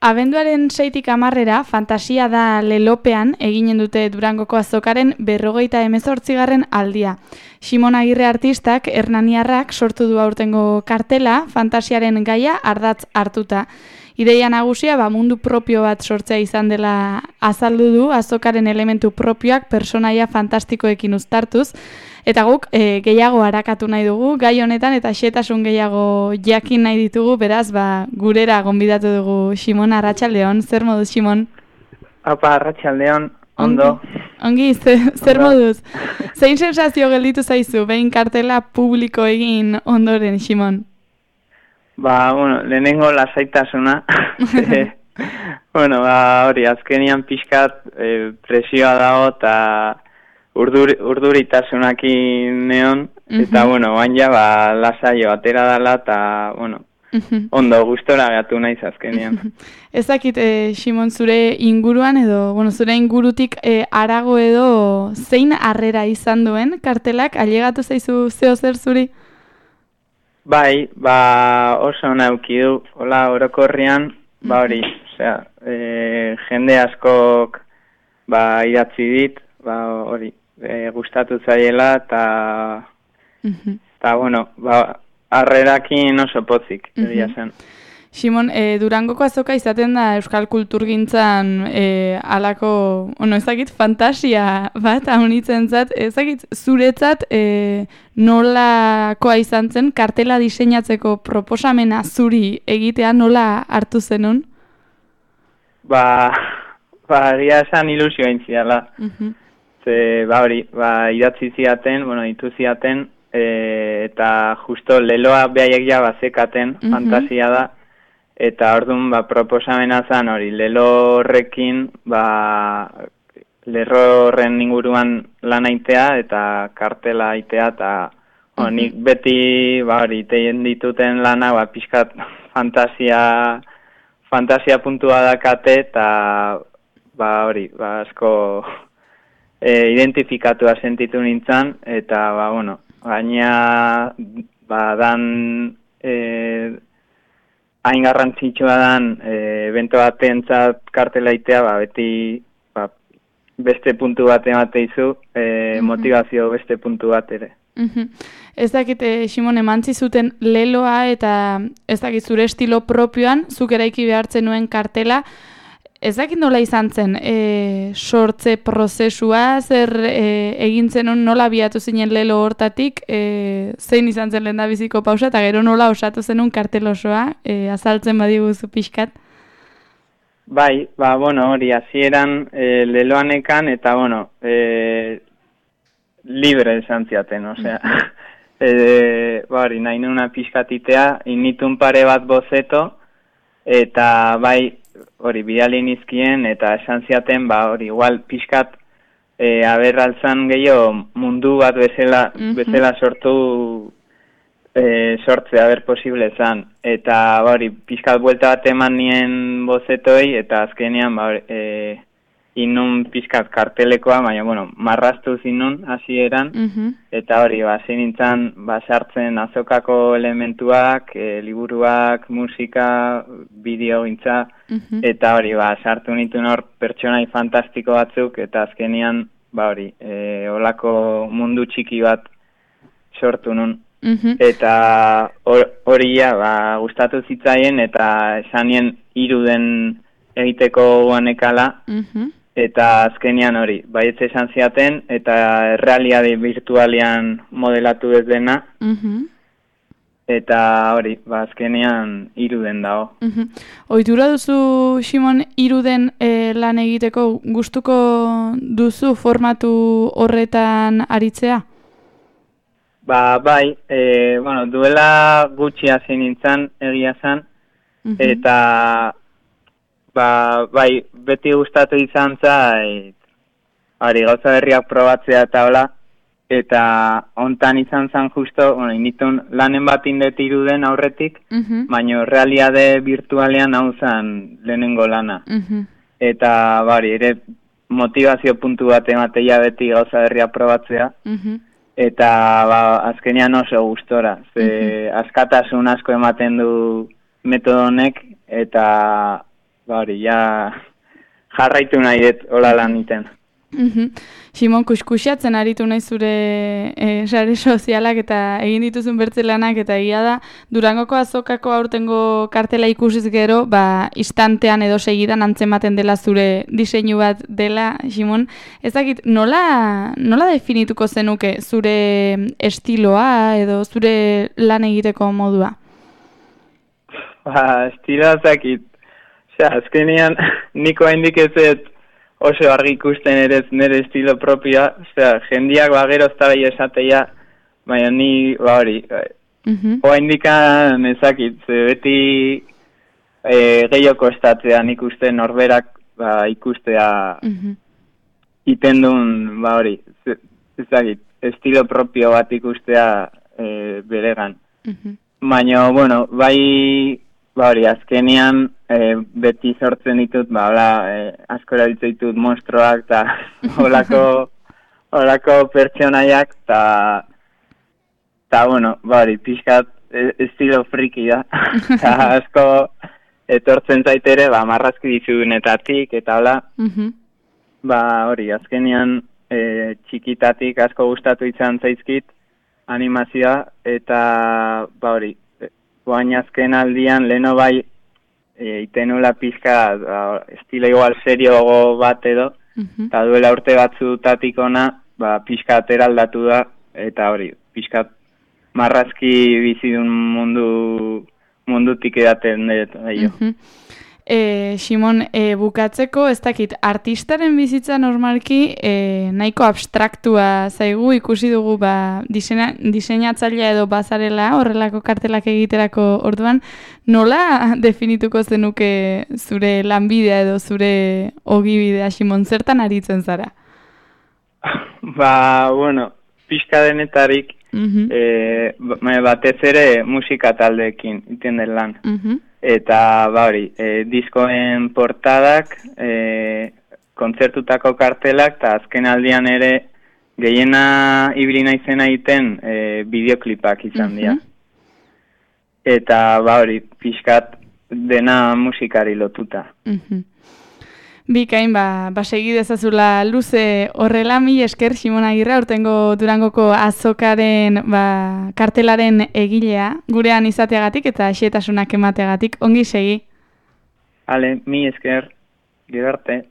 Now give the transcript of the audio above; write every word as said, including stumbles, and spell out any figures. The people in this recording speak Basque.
Abenduaren seitik hamarrera, Fantasia da lelopean eginen dute Durangoko azokaren berrogeita hemezortzigarren aldia. Ximon Agirre artistak, hernaniarrak sortu du aurtengo kartela, fantasiaren gaia ardatz hartuta. Ideia nagusia ba, mundu propio bat sortzea izan dela azaldu du, azokaren elementu propioak personaia fantastikoekin uztartuz, eta guk e, gehiago arakatu nahi dugu, gai honetan eta xetasun gehiago jakin nahi ditugu, beraz, ba, gurera gonbidatu dugu Ximon. Arratsaldeon, zer moduz, Ximon? Apa, arratsaldeon, ondo. Ongi, zer, zer moduz? Zein sensazio gelditu zaizu, behin kartela publiko egin ondoren, Ximon? Ba, bueno, lehenengo lasaitasuna. bueno, ba, hori, azkenian pixkat e, presioa dago eta urdur, urduritasunakin neon, eta, uh-huh. bueno, baina, ba, lasaio atera dela, eta, bueno, uh-huh. ondo, gustora gatu naiz azkenian. Ez dakit, e, Ximon, zure inguruan edo, bueno, zure ingurutik e, arago edo zein harrera izan duen kartelak, ailegatu zaizu zeo zer zuri? Bai, ba, oso nauki du, hola, orokorrian, ba hori, osea, e, jende askok, ba, idatzi dit, ba, hori, e, gustatu zaiela, eta, eta, bueno, ba, harrerakin oso pozik, egia zen. Ximon, e, Durangoko azoka izaten da euskal kulturgintzan e, alako, ono, ezakit, fantasia bat, haunitzen zat, ezakit, zuretzat e, nolakoa izan zen, kartela diseinatzeko proposamena zuri egitea nola hartu zenun? Ba, ba, egia esan ilusio aintziala. Uh-huh. Ze, ba, hori, ba, idatzi ziaten, bueno, itu ziaten, e, eta justo leloa behaiek ja bazekaten, uh-huh. fantasia da, eta orduan ba, proposamena zen hori, lelo horrekin, ba, lerro horren inguruan lan aitea eta kartela aitea, eta uh-huh. nik beti ba, hori, teien dituten lana, ba, pixkat fantasia, fantasia puntua dakate, eta ba, hori, ba, asko e, identifikatua sentitu nintzen, eta ba, bueno, baina ba, dan e, hain garrantzitsua dan e, bento batentzat kartelaitea, ba, beti ba, beste puntu bat emateizu, e, uh-huh. motivazio beste puntu bat ere. Uh-huh. Ez dakit, e, Ximon, emantzi zuten leloa eta ez dakit zure estilo propioan, zuk eraiki behartzen nuen kartela, ez dakit nola izan zen, e, sortze prozesua, zer e, egin zenun nola biatu zinen lelo hortatik, e, zein izan zen lehendabiziko pausa, eta gero nola osatu zenun kartel osoa, e, azaltzen badiguzu pixkat? Bai, ba, bueno, hori, hasieran e, leloanekan, eta, bueno, e, libre esan ziaten, osea, e, ba, hori, nahi nuna pixkatitea, initun pare bat bozeto, eta, bai, hori, bidali nizkien, eta esan ziaten, ba, hori, igual, pixkat, e, aberraltzan gehiago mundu bat bezala, uh-huh. bezala sortu, e, sortzea, ber posible zan. Eta, ba, hori, pixkat buelta bat eman nien bozetoi, eta azkenean, ba, hori, e, inun pixkat kartelekoa, baina, bueno, marraztu zinun hasieran, uh-huh. eta hori, ba, zein nintzen, ba, sartzen azokako elementuak, e, liburuak, musika, bideo gintza, uh-huh. eta hori, ba, sartu nituen hor pertsonai fantastiko batzuk, eta azkenean, ba, hori, e, olako mundu txiki bat sortu nun. Uh-huh. Eta hori, ja, ba, gustatu zitzaien, eta esanien iruden egiteko guanekala, uh-huh. eta azkenean hori, baietze esan ziaten, eta errealiade virtualian modelatu ez dena, uh-huh. eta hori, ba, azkenean iruden dago. Uh-huh. Ohitura duzu, Ximon, iruden e, lan egiteko gustuko duzu formatu horretan aritzea? Ba, bai, e, bueno, duela gutxi hasi nintzen egia zen, uh-huh. eta ba, bai, beti gustatu izan zait, hori, gauza berriak probatzea eta hola, eta hontan izan zen justo, bueno, initun lanen bat indet iruden aurretik, uh-huh. baina realiade virtualean hau zen lehenengo lana. Uh-huh. Eta, bari, ere motivazio puntu bat emateia beti gauza berriak probatzea, uh-huh. eta, ba, azkenean oso gustora, ze uh-huh. askatasun asko ematen du metodo honek, eta ba hori, ja jarraitu nahi dut hola lan iten. Mhm. Simon, kuskusiatzen aritu nahi zure e, sare sozialak eta egin dituzun bertzelanak eta egia da Durangoko azokako aurtengo kartela ikusiz gero, ba, instantean edo segidan antzematen dela zure diseinu bat dela, Simon. Ez dakit, nola, nola definituko zenuke zure estiloa edo zure lan egiteko modua? Ba, estiloa zakit. Osea, azkenean niko haindik ez ez oso argi ikusten ere nire estilo propioa, osea, jendiak ba gero eztabai esatea, baina ni ba hori, Mhm. hoa indikan ezakit, ze beti e, gehiago kostatzea nik uste norberak ba, ikustea Mhm. iten duen, ba hori, ze- ezakit, estilo propio bat ikustea e, beregan. Mhm. Baina, bueno, bai, ba hori, azkenean e, beti sortzen ditut, ba, hola, e, asko erabiltzen ditut monstroak, eta holako, holako pertsonaiak, eta, eta, bueno, ba hori, pixkat e, estilo friki da, eta asko etortzen zaitere, ba, marrazki dizunetatik, eta hola, Mhm. ba hori, azkenean e, txikitatik asko gustatu izan zaizkit animazioa, eta ba hori, e, guain azken aldian leno bai e, itenula pixka ba, estilo igual serioago bat edo, Mhm. eta duela urte batzutatik ona, ba pixka ateraldatu da, eta hori, pixka marrazki bizidun mundu mundutik edaten dut, aio. Mhm. E, Simon, e, bukatzeko, ez dakit, artistaren bizitza normalki e, nahiko abstraktua zaigu, ikusi dugu ba, diseina, diseinatzailea edo bazarela horrelako kartelak egiterako orduan, nola definituko zenuke zure lanbidea edo zure ogibidea, Simon, zertan aritzen zara? Ba, bueno, pixka denetarik, Mhm. e, batez ere musika taldeekin iten den lan. Mhm. Eta, ba hori, e, diskoen portadak, e, kontzertutako kartelak, eta azken aldian ere gehiena ibili naizena egiten e, bideoklipak izan dira. Mhm. Eta, ba hori, pixkat dena musikari lotuta. Mhm. Bikain, ba, ba segi dezazula luze horrela, mil esker Simon Agirre, aurtengo Durangoko azokaren ba, kartelaren egilea, gurean izateagatik eta xehetasunak emateagatik, ongi segi. Ale, mi esker, gero arte.